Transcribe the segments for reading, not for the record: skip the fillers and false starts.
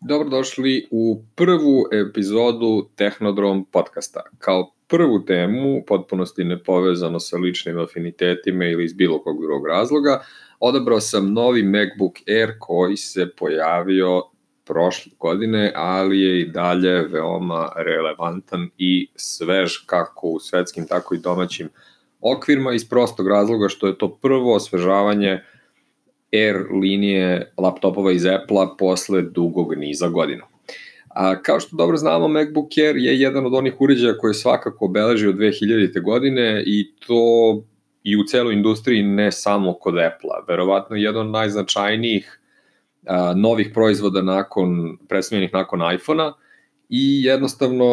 Dobrodošli u prvu epizodu Tehnodrom podcasta. Kao prvu temu, potpunosti nepovezano sa ličnim afinitetima ili iz bilo kog drugog razloga, odabrao sam novi MacBook Air koji se pojavio prošle godine, ali je i dalje veoma relevantan i svež kako u svetskim, tako i domaćim okvirima iz prostog razloga što je to prvo osvežavanje Air linije laptopova iz Apple-a posle dugog niza godina. Kao što dobro znamo, MacBook Air je jedan od onih uređaja koje svakako obeležio 2000. godine i to i u celoj industriji, ne samo kod Apple-a. Verovatno jedan od najznačajnijih novih proizvoda predstavljenih nakon iPhone-a i jednostavno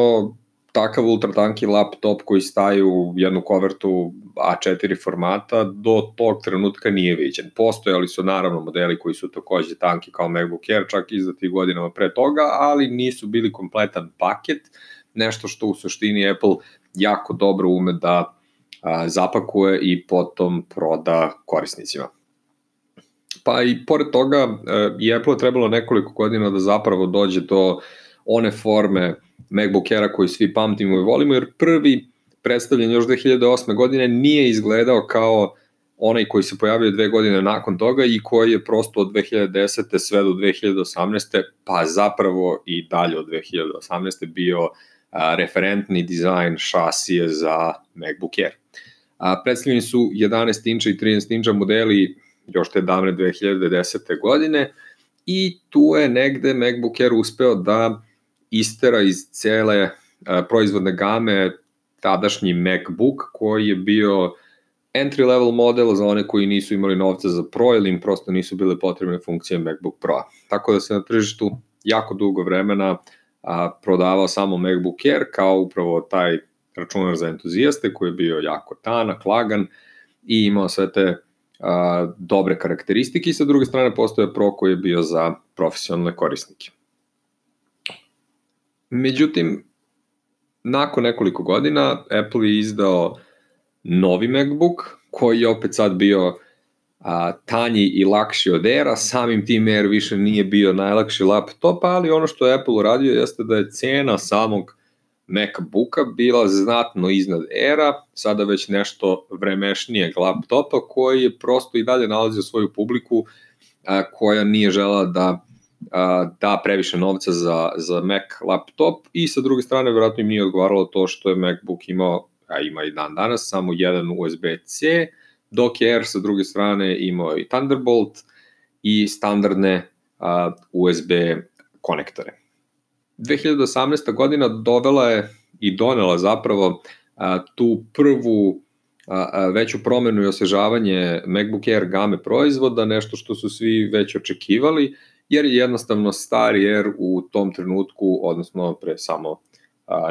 takav ultratanki laptop koji staje u jednu kovertu A4 formata do tog trenutka nije viđen. Postojali su naravno modeli koji su takođe tanki kao MacBook Air, čak izdati godinama pre toga, ali nisu bili kompletan paket, nešto što u suštini Apple jako dobro ume da zapakuje i potom proda korisnicima. Pa i pored toga i Apple je trebalo nekoliko godina da zapravo dođe do one forme MacBook Aira koji svi pamtimo i volimo, jer prvi predstavljen još 2008. godine nije izgledao kao onaj koji se pojavio 2 godine nakon toga i koji je prosto od 2010. sve do 2018. pa zapravo i dalje od 2018. bio referentni dizajn šasije za MacBook Air. Predstavljeni su 11 inča i 13 inča modeli još te davne 2010. godine i tu je negde MacBook Air uspeo da istera iz cele proizvodne game tadašnji MacBook koji je bio entry level model za one koji nisu imali novca za Pro ili im prosto nisu bile potrebne funkcije MacBook Pro. Tako da se na tržištu jako dugo vremena prodavao samo MacBook Air kao upravo taj računar za entuzijaste koji je bio jako tanak, lagan i imao sve te dobre karakteristike i sa druge strane postoje Pro koji je bio za profesionalne korisnike. Međutim, nakon nekoliko godina Apple je izdao novi MacBook koji je opet sad bio tanji i lakši od Aira, samim tim Air više nije bio najlakši laptop, ali ono što je Apple uradio jeste da je cena samog MacBooka bila znatno iznad Aira, sada već nešto vremešnijeg laptopa koji je prosto i dalje nalazio svoju publiku koja nije žela da previše novca za Mac laptop i sa druge strane vjerojatno im nije odgovaralo to što je MacBook imao, a ima i dan danas, samo jedan USB-C, dok je Air sa druge strane imao i Thunderbolt i standardne USB konektore. 2018. godina dovela je i donela zapravo tu prvu veću promenu i osvežavanje MacBook Air game proizvoda, nešto što su svi već očekivali, jer je jednostavno stari Air u tom trenutku, odnosno pre samo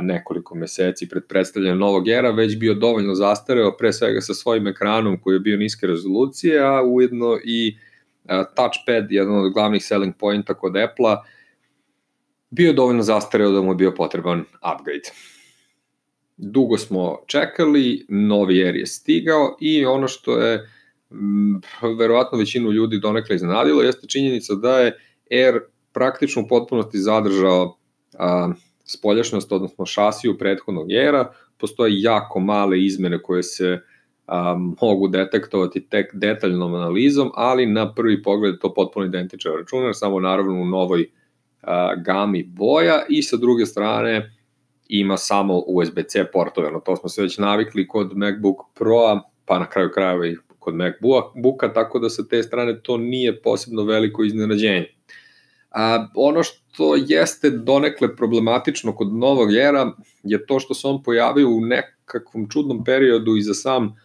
nekoliko meseci pred predstavljanjem novog Aira, već bio dovoljno zastareo, pre svega sa svojim ekranom koji je bio niske rezolucije, a ujedno i touchpad, jedan od glavnih selling pointa kod Apple-a, bio je dovoljno zastareo da mu je bio potreban upgrade. Dugo smo čekali, novi Air je stigao i ono što je verovatno većinu ljudi donekle iznenadilo jeste činjenica da je Air praktično u potpunosti zadržao spoljašnjost, odnosno šasiju prethodnog Aira. Postoje jako male izmene koje se mogu detektovati tek detaljnom analizom, ali na prvi pogled to potpuno identičan računar, samo naravno u novoj gami boja i sa druge strane ima samo USB-C portove, no to smo se već navikli kod MacBook Pro-a, pa na kraju krajeva i kod MacBooka, tako da sa te strane to nije posebno veliko iznenađenje. Ono što jeste donekle problematično kod novog Aira je to što se on pojavio u nekakvom čudnom periodu i za sam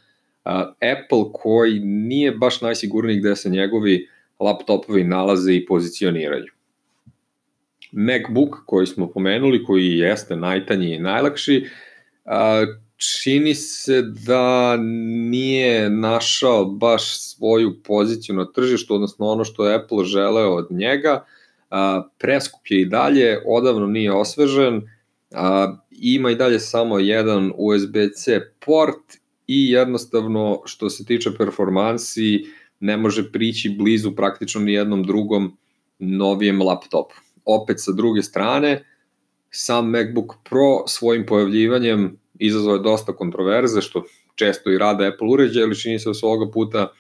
Apple koji nije baš najsigurniji gde se njegovi laptopovi nalaze i pozicioniraju. MacBook koji smo pomenuli, koji jeste najtanji i najlakši, čini se da nije našao baš svoju poziciju na tržištu, odnosno ono što je Apple želeo od njega, preskup je i dalje, odavno nije osvežen, ima i dalje samo jedan USB-C port i jednostavno što se tiče performansi ne može prići blizu praktično ni jednom drugom novijem laptopu. opet sa druge strane, sam MacBook Pro svojim pojavljivanjem izazvao je dosta kontroverze, što često i rade Apple uređaje, ali čini se da su ovoga puta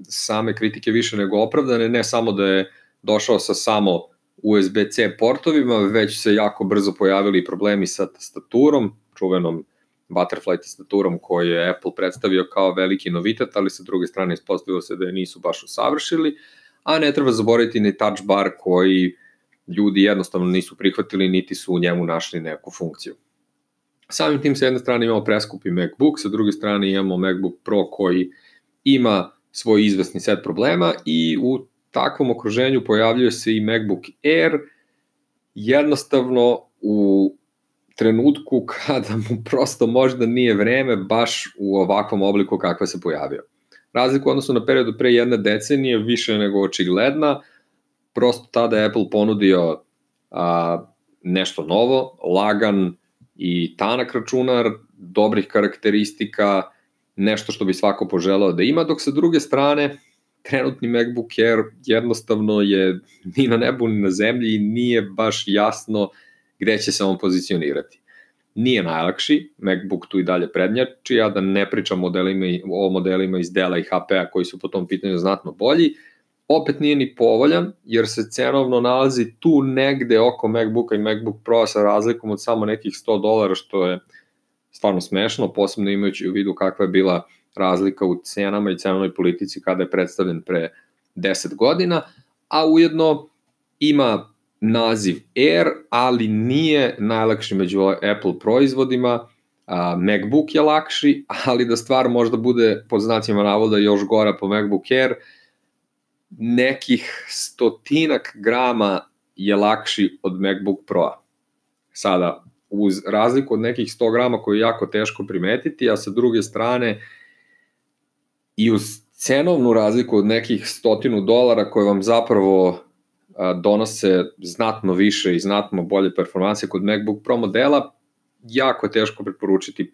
same kritike više nego opravdane, ne samo da je došao sa samo USB-C portovima, već se jako brzo pojavili problemi sa tastaturom, čuvenom Butterfly tastaturom koju je Apple predstavio kao veliki novitet, ali sa druge strane ispostavilo se da je nisu baš usavršili, a ne treba zaboraviti ni touch bar koji ljudi jednostavno nisu prihvatili, niti su u njemu našli neku funkciju. Samim tim sa jedne strane imamo preskupi MacBook, sa druge strane imamo MacBook Pro koji ima svoj izvesni set problema i u takvom okruženju pojavljuje se i MacBook Air, jednostavno u trenutku kada mu prosto možda nije vreme baš u ovakvom obliku kakva se pojavio. Razlika odnosno na periodu pre jedne decenije više nego očigledna, prosto tada je Apple ponudio nešto novo, lagan i tanak računar, dobrih karakteristika, nešto što bi svako poželao da ima, dok sa druge strane trenutni MacBook Air jednostavno je ni na nebu ni na zemlji i nije baš jasno gde će se on pozicionirati. Nije najlakši, MacBook tu i dalje prednjači, a da ne pričam o modelima iz Della i HP-a koji su po tom pitanju znatno bolji, opet nije ni povoljan, jer se cenovno nalazi tu negde oko MacBooka i MacBook Pro sa razlikom od samo nekih $100, što je stvarno smešno, posebno imajući u vidu kakva je bila razlika u cenama i cenovnoj politici kada je predstavljen pre 10 godina, a ujedno ima naziv Air, ali nije najlakši među Apple proizvodima, MacBook je lakši, ali da stvar možda bude pod znacima navoda još gora po MacBook Air, nekih 100 grama je lakši od MacBook Pro-a. Sada, uz razliku od nekih 100 grama koju je jako teško primetiti, a sa druge strane i uz cenovnu razliku od nekih $100 koje vam zapravo donose znatno više i znatno bolje performanse kod MacBook Pro modela, jako je teško preporučiti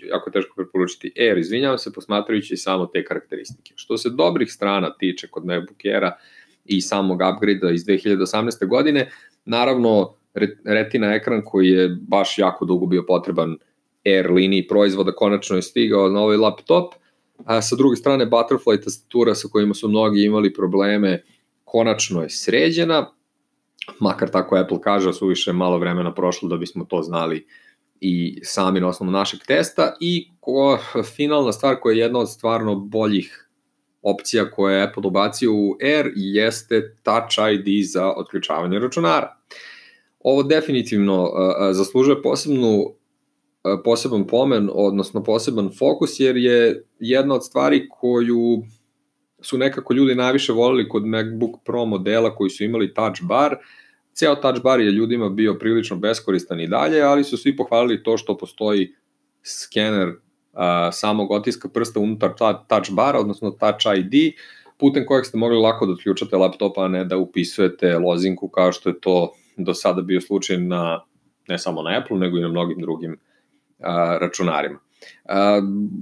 jako je teško preporučiti Air, izvinjavam se, posmatrajući samo te karakteristike. Što se dobrih strana tiče kod MacBook Aira i samog upgrade-a iz 2018. godine, naravno Retina ekran koji je baš jako dugo bio potreban Air liniji proizvoda, konačno je stigao na ovaj laptop, a sa druge strane Butterfly tastatura sa kojima su mnogi imali probleme konačno je sređena, makar tako Apple kaže, suviše malo vremena prošlo da bismo to znali i sami na osnovu našeg testa, i finalna stvar koja je jedna od stvarno boljih opcija koje je Apple ubacio u Air jeste Touch ID za otključavanje računara. Ovo definitivno zaslužuje poseban pomen, odnosno poseban fokus, jer je jedna od stvari koju su nekako ljudi najviše volili kod MacBook Pro modela koji su imali touch bar. Ceo touch bar je ljudima bio prilično beskoristan i dalje, ali su svi pohvalili to što postoji skener samog otiska prsta unutar touch bara, odnosno touch ID, putem kojeg ste mogli lako da otključate laptopa, a ne da upisujete lozinku kao što je to do sada bio slučaj ne samo na Apple, nego i na mnogim drugim računarima.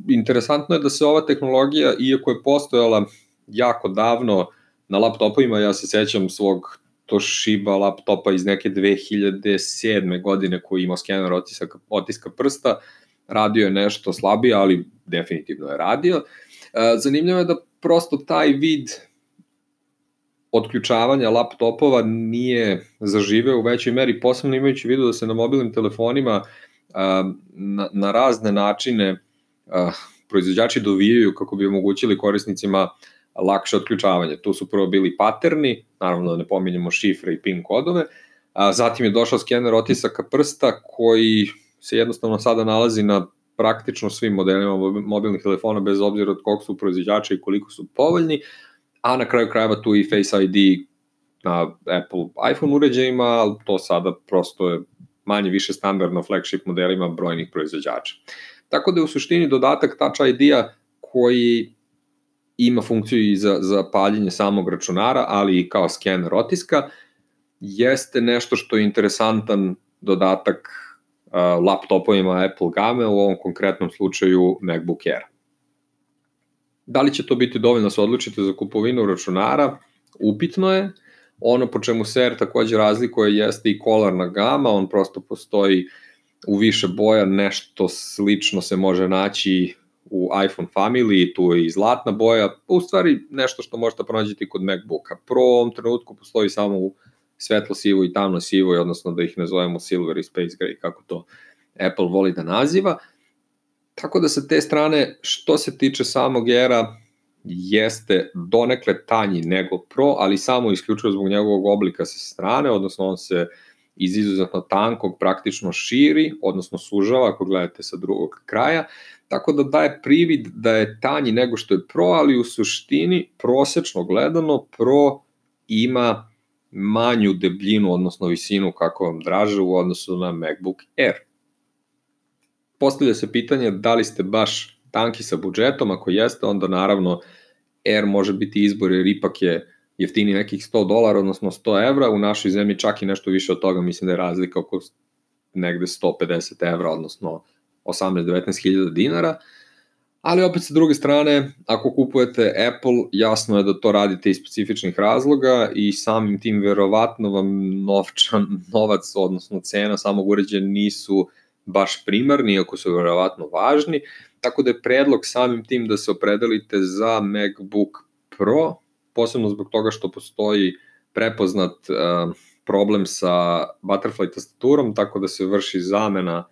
Interesantno je da se ova tehnologija, iako je postojala jako davno na laptopovima, ja se sećam svog Toshiba laptopa iz neke 2007. godine koji ima skener otiska prsta, radio je nešto slabije, ali definitivno je radio. Zanimljivo je da prosto taj vid otključavanja laptopova nije zaživeo u većoj meri, posebno imajući vidu da se na mobilnim telefonima na razne načine proizvođači dovijaju kako bi omogućili korisnicima lakše otključavanje. Tu su prvo bili paterni, naravno da ne pominjemo šifre i PIN kodove, zatim je došao skener otisaka prsta koji se jednostavno sada nalazi na praktično svim modelima mobilnih telefona bez obzira od kog su proizvođača i koliko su povoljni, a na kraju krajeva tu i Face ID na Apple iPhone uređajima, ali to sada prosto je manje više standardno flagship modelima brojnih proizvođača. Tako da je u suštini dodatak Touch ID-a koji ima funkciju i za paljenje samog računara, ali i kao skener otiska, jeste nešto što je interesantan dodatak laptopovima Apple game, u ovom konkretnom slučaju MacBook Air. Da li će to biti dovoljno da se odlučite za kupovinu računara? Upitno je, Ono po čemu se Air takođe razlikuje jeste i kolarna gama, on prosto postoji u više boja, nešto slično se može naći u iPhone family, tu je i zlatna boja, u stvari nešto što možete pronađeti kod MacBooka. Pro u ovom trenutku postoji samo u svetlo sivo i tamno sivo, odnosno da ih nazovemo silver i space gray, kako to Apple voli da naziva. Tako da sa te strane, što se tiče samog Aira, jeste donekle tanji nego Pro, ali samo isključivo zbog njegovog oblika sa strane, odnosno on se iz izuzetno tankog praktično širi, odnosno sužava ako gledate sa drugog kraja, tako da daje privid da je tanji nego što je Pro, ali u suštini, prosečno gledano, Pro ima manju debljinu, odnosno visinu, kako vam draže, u odnosu na MacBook Air. Postavlja se pitanje da li ste baš tanki sa budžetom, ako jeste, onda naravno Air može biti izbor jer ipak je jeftini nekih $100, odnosno 100 evra, u našoj zemlji čak i nešto više od toga, mislim da je razlika oko negde 150 evra, odnosno 18-19 hiljada dinara, ali opet sa druge strane, ako kupujete Apple, jasno je da to radite iz specifičnih razloga i samim tim verovatno vam novac, odnosno cena samog uređaja nisu baš primarni, iako su verovatno važni, tako da je predlog samim tim da se opredelite za MacBook Pro, posebno zbog toga što postoji prepoznat problem sa butterfly tastaturom, tako da se vrši zamena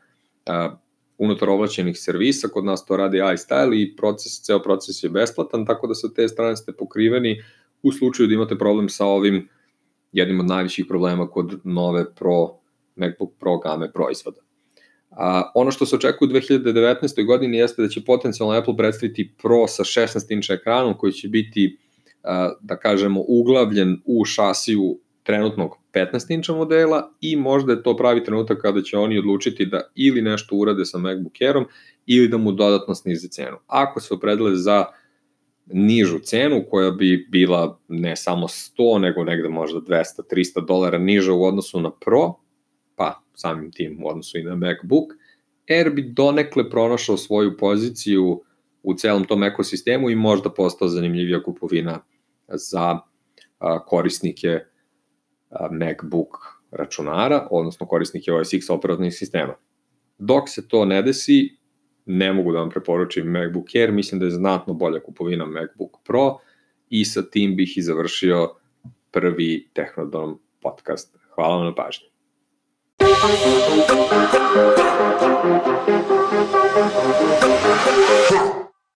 unutar ovlašćenih servisa, kod nas to radi iStyle i ceo proces je besplatan, tako da sa te strane ste pokriveni u slučaju da imate problem sa ovim jednim od najviših problema kod nove MacBook Pro game proizvoda. Ono što se očekuje u 2019. godini jeste da će potencijalno Apple predstaviti Pro sa 16-inč ekranom koji će biti, da kažemo, uglavljen u šasiju trenutnog 15-inča modela i možda je to pravi trenutak kada će oni odlučiti da ili nešto urade sa MacBook Airom ili da mu dodatno snize cenu. Ako se opredele za nižu cenu koja bi bila ne samo 100 nego negde možda $200-300 niža u odnosu na Pro, pa samim tim u odnosu i na MacBook, Air bi donekle pronašao svoju poziciju u celom tom ekosistemu i možda postao zanimljivija kupovina za korisnike MacBook računara, odnosno korisnike OS X operativnih sistema. Dok se to ne desi, ne mogu da vam preporučim MacBook Air, mislim da je znatno bolja kupovina MacBook Pro i sa tim bih i završio prvi Tehnodom podcast. Hvala vam na pažnji. Huh.